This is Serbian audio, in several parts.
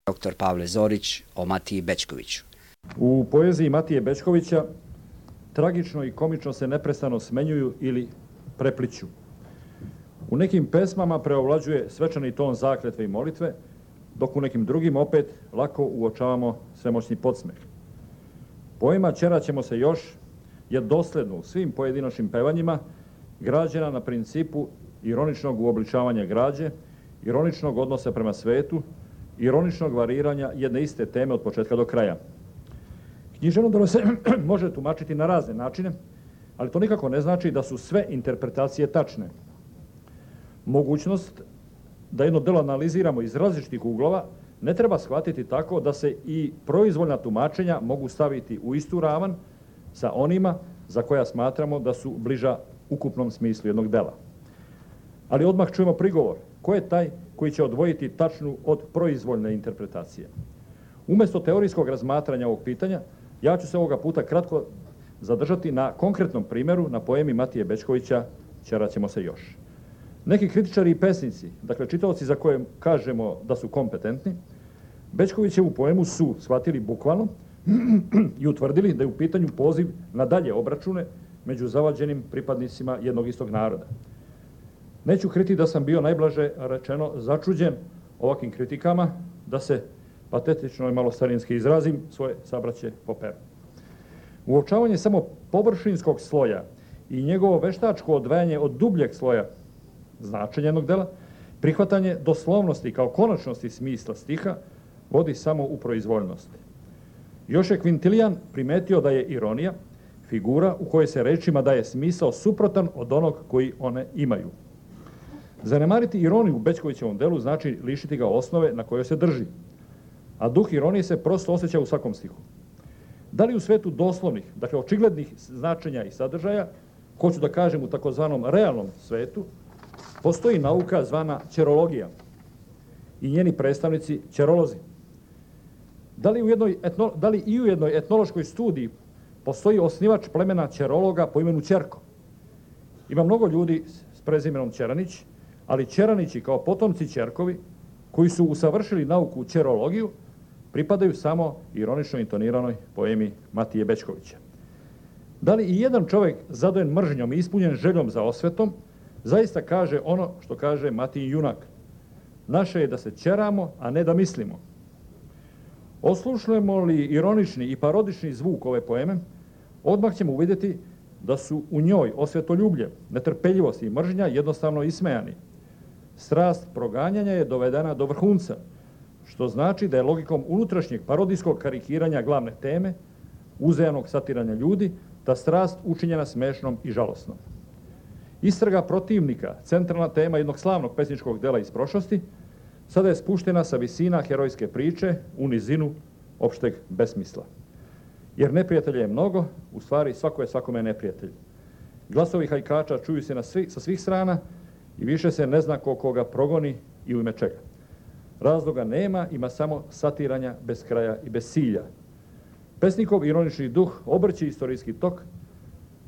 Dr. Pavle Zorić o Matiji Bećkoviću. U poeziji Matije Bećkovića tragično i komično se neprestano smenjuju ili prepliću. U nekim pesmama preovlađuje svečani ton zakletve i molitve, dok u nekim drugim opet lako uočavamo svemoćni podsmeh. Poema Ćerat ćemo se još je dosledno u svim pojedinačnim pevanjima građena na principu ironičnog uobličavanja građe, ironičnog odnosa prema svetu, ironičnog variranja jedne iste teme od početka do kraja. Književno delo se može tumačiti na razne načine, ali to nikako ne znači da su sve interpretacije tačne. Mogućnost da jedno delo analiziramo iz različitih uglova ne treba shvatiti tako da se i proizvoljna tumačenja mogu staviti u istu ravan sa onima za koja smatramo da su bliža ukupnom smislu jednog dela. Ali odmah čujemo prigovor. Ko je taj koji će odvojiti tačnu od proizvoljne interpretacije? Umjesto teorijskog razmatranja ovog pitanja, ja ću se ovoga puta kratko zadržati na konkretnom primjeru na poemi Matije Bećkovića Ćerat ćemo se još. Neki kritičari i pesnici, dakle čitaoci za koje kažemo da su kompetentni, Bećkovićevu poemu su shvatili bukvalno i utvrdili da je u pitanju poziv na dalje obračune među zavađenim pripadnicima jednog istog naroda. Neću kriti da sam bio najblaže rečeno začuđen ovakvim kritikama, da se patetično i malo starinski izrazim, svoje sabraće poperu. Uočavanje samo površinskog sloja i njegovo veštačko odvajanje od dubljeg sloja značenja jednog dela, prihvatanje doslovnosti kao konačnosti smisla stiha vodi samo u proizvoljnost. Još je Kvintilijan primetio da je ironija figura u kojoj se rečima daje smisao suprotan od onog koji one imaju. Zanemariti ironiju u Bećkovićevom delu znači lišiti ga osnove na kojoj se drži, a duh ironije se prosto osjeća u svakom stihu. Da li u svetu doslovnih, dakle očiglednih značenja i sadržaja, hoću da kažem u takozvanom realnom svetu, postoji nauka zvana ćerologija i njeni predstavnici ćerolozi? Da li i u jednoj etnološkoj studiji postoji osnivač plemena ćerologa po imenu Ćerko? Ima mnogo ljudi s prezimenom Ćeranić, ali Ćeranići kao potomci Ćerkovi, koji su usavršili nauku ćerologiju, pripadaju samo ironično intoniranoj poemi Matije Bećkovića. Da li i jedan čovjek zadojen mržnjom i ispunjen željom za osvetom zaista kaže ono što kaže Matijin junak? Naše je da se ćeramo, a ne da mislimo. Oslušnemo li ironični i parodični zvuk ove poeme, odmah ćemo uvidjeti da su u njoj osvetoljublje, netrpeljivost i mržnja jednostavno ismejani. Strast proganjanja je dovedena do vrhunca, što znači da je logikom unutrašnjeg parodijskog karikiranja glavne teme, uzajanog satiranja ljudi, ta strast učinjena smešnom i žalosnom. Istraga protivnika, centralna tema jednog slavnog pesničkog dela iz prošlosti, sada je spuštena sa visina herojske priče u nizinu opšteg besmisla. Jer neprijatelja je mnogo, u stvari svako je svakome neprijatelj. Glasovi hajkača čuju se sa svih strana i više se ne zna ko koga progoni i u ime čega. Razloga nema, ima samo satiranja bez kraja i bez cilja. Pesnikov ironični duh obrće istorijski tok,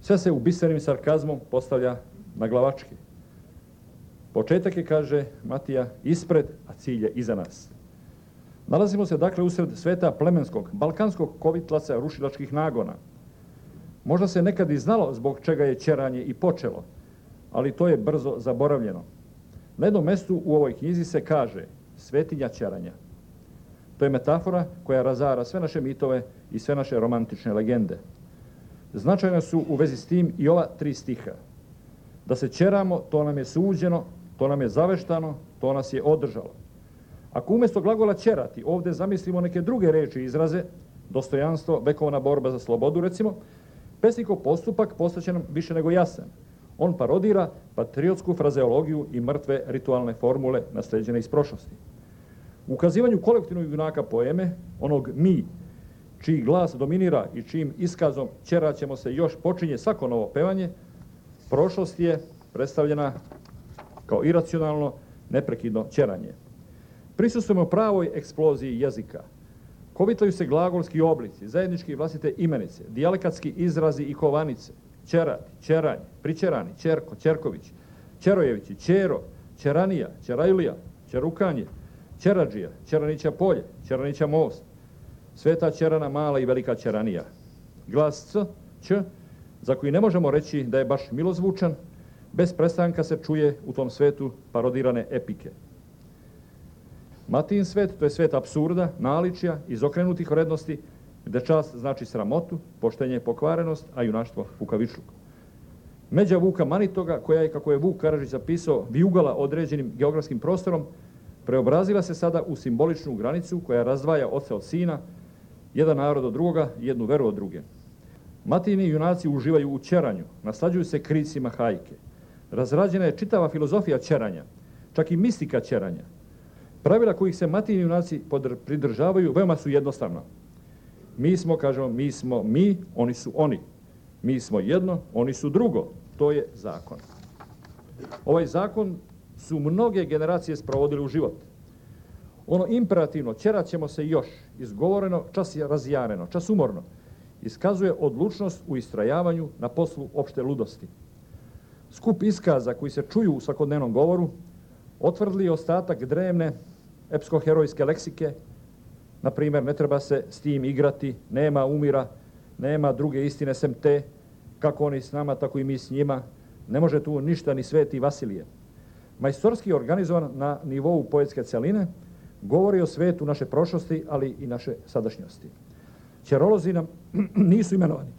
sve se u bisernim sarkazmom postavlja na glavačke. Početak je, kaže Matija, ispred, a cilj je iza nas. Nalazimo se dakle usred sveta plemenskog, balkanskog kovitlaca rušilačkih nagona. Možda se nekad i znalo zbog čega je ćeranje i počelo, ali to je brzo zaboravljeno. Na jednom mestu u ovoj knjizi se kaže svetinja ćeranja. To je metafora koja razara sve naše mitove i sve naše romantične legende. Značajne su u vezi s tim i ova 3 stiha. Da se ćeramo, to nam je suđeno, to nam je zaveštano, to nas je održalo. Ako umjesto glagola ćerati ovdje zamislimo neke druge reči i izraze, dostojanstvo, vekovna borba za slobodu recimo, pesnikov postupak postaće nam više nego jasan. On parodira patriotsku frazeologiju i mrtve ritualne formule naslijeđene iz prošlosti. U ukazivanju kolektivnog junaka poeme, onog mi, čiji glas dominira i čijim iskazom ćerat ćemo se još počinje svako novo pevanje, prošlost je predstavljena kao iracionalno, neprekidno ćeranje. Prisustvujemo pravoj eksploziji jezika. Kovitlaju se glagolski oblici, zajednički vlastite imenice, dijalekatski izrazi i kovanice, ćerati, ćeranje, pričerani, ćerko, ćerković, ćerojevići, ćero, ćeranija, ćerajlija, ćerukanje, Ćeradžija, Ćeranića polje, Ćeranića most, Sveta Ćerana mala i velika Ćeranija. Glas C, Ć, za koji ne možemo reći da je baš milozvučan, bez prestanka se čuje u tom svetu parodirane epike. Matijin svet, to je svet apsurda, naličja, izokrenutih vrednosti, gde čast znači sramotu, poštenje pokvarenost, a junaštvo kukavičluk. Međa Vuka Manitoga, koja je, kako je Vuk Karadžić zapisao, vijugala određenim geografskim prostorom, preobrazila se sada u simboličnu granicu koja razdvaja oca od sina, jedan narod od drugoga i jednu veru od druge. Matijini junaci uživaju u ćeranju, naslađuju se kricima hajke. Razrađena je čitava filozofija ćeranja, čak i mistika ćeranja. Pravila kojih se Matijini junaci pridržavaju veoma su jednostavna. Mi smo, kažemo, mi smo mi, oni su oni. Mi smo jedno, oni su drugo. To je zakon. Ovaj zakon su mnoge generacije sprovodili u život. Ono imperativno, ćerat ćemo se još, izgovoreno, čas je razjareno, čas umorno, iskazuje odlučnost u istrajavanju na poslu opšte ludosti. Skup iskaza koji se čuju u svakodnevnom govoru otvrdli ostatak drevne epsko-herojske leksike. Na primjer, ne treba se s tim igrati, nema umira, nema druge istine sem te, kako oni s nama, tako i mi s njima. Ne može tu ništa ni Sveti Vasilije. Majstorski organizovan na nivou poetske celine, govori o svetu naše prošlosti, ali i naše sadašnjosti. Ćerolozi nam nisu imenovani.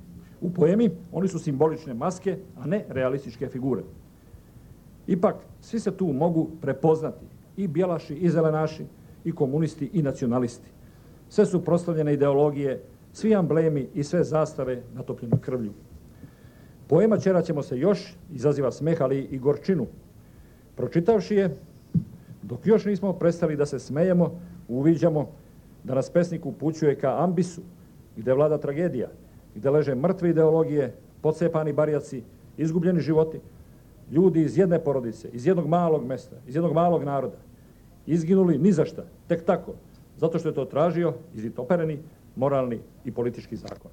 U poemi oni su simbolične maske, a ne realističke figure. Ipak, svi se tu mogu prepoznati, i bjelaši, i zelenaši, i komunisti, i nacionalisti. Sve su proslavljene ideologije, svi amblemi i sve zastave natopljene krvlju. Poema Ćerat ćemo se još izaziva smeh, ali i gorčinu. Pročitavši je, dok još nismo prestali da se smejemo, uviđamo da nas pesnik upućuje ka ambisu, gde vlada tragedija, gde leže mrtve ideologije, pocepani barjaci, izgubljeni životi, ljudi iz jedne porodice, iz jednog malog mesta, iz jednog malog naroda, izginuli ni za šta, tek tako, zato što je to tražio izvitopereni, moralni i politički zakon.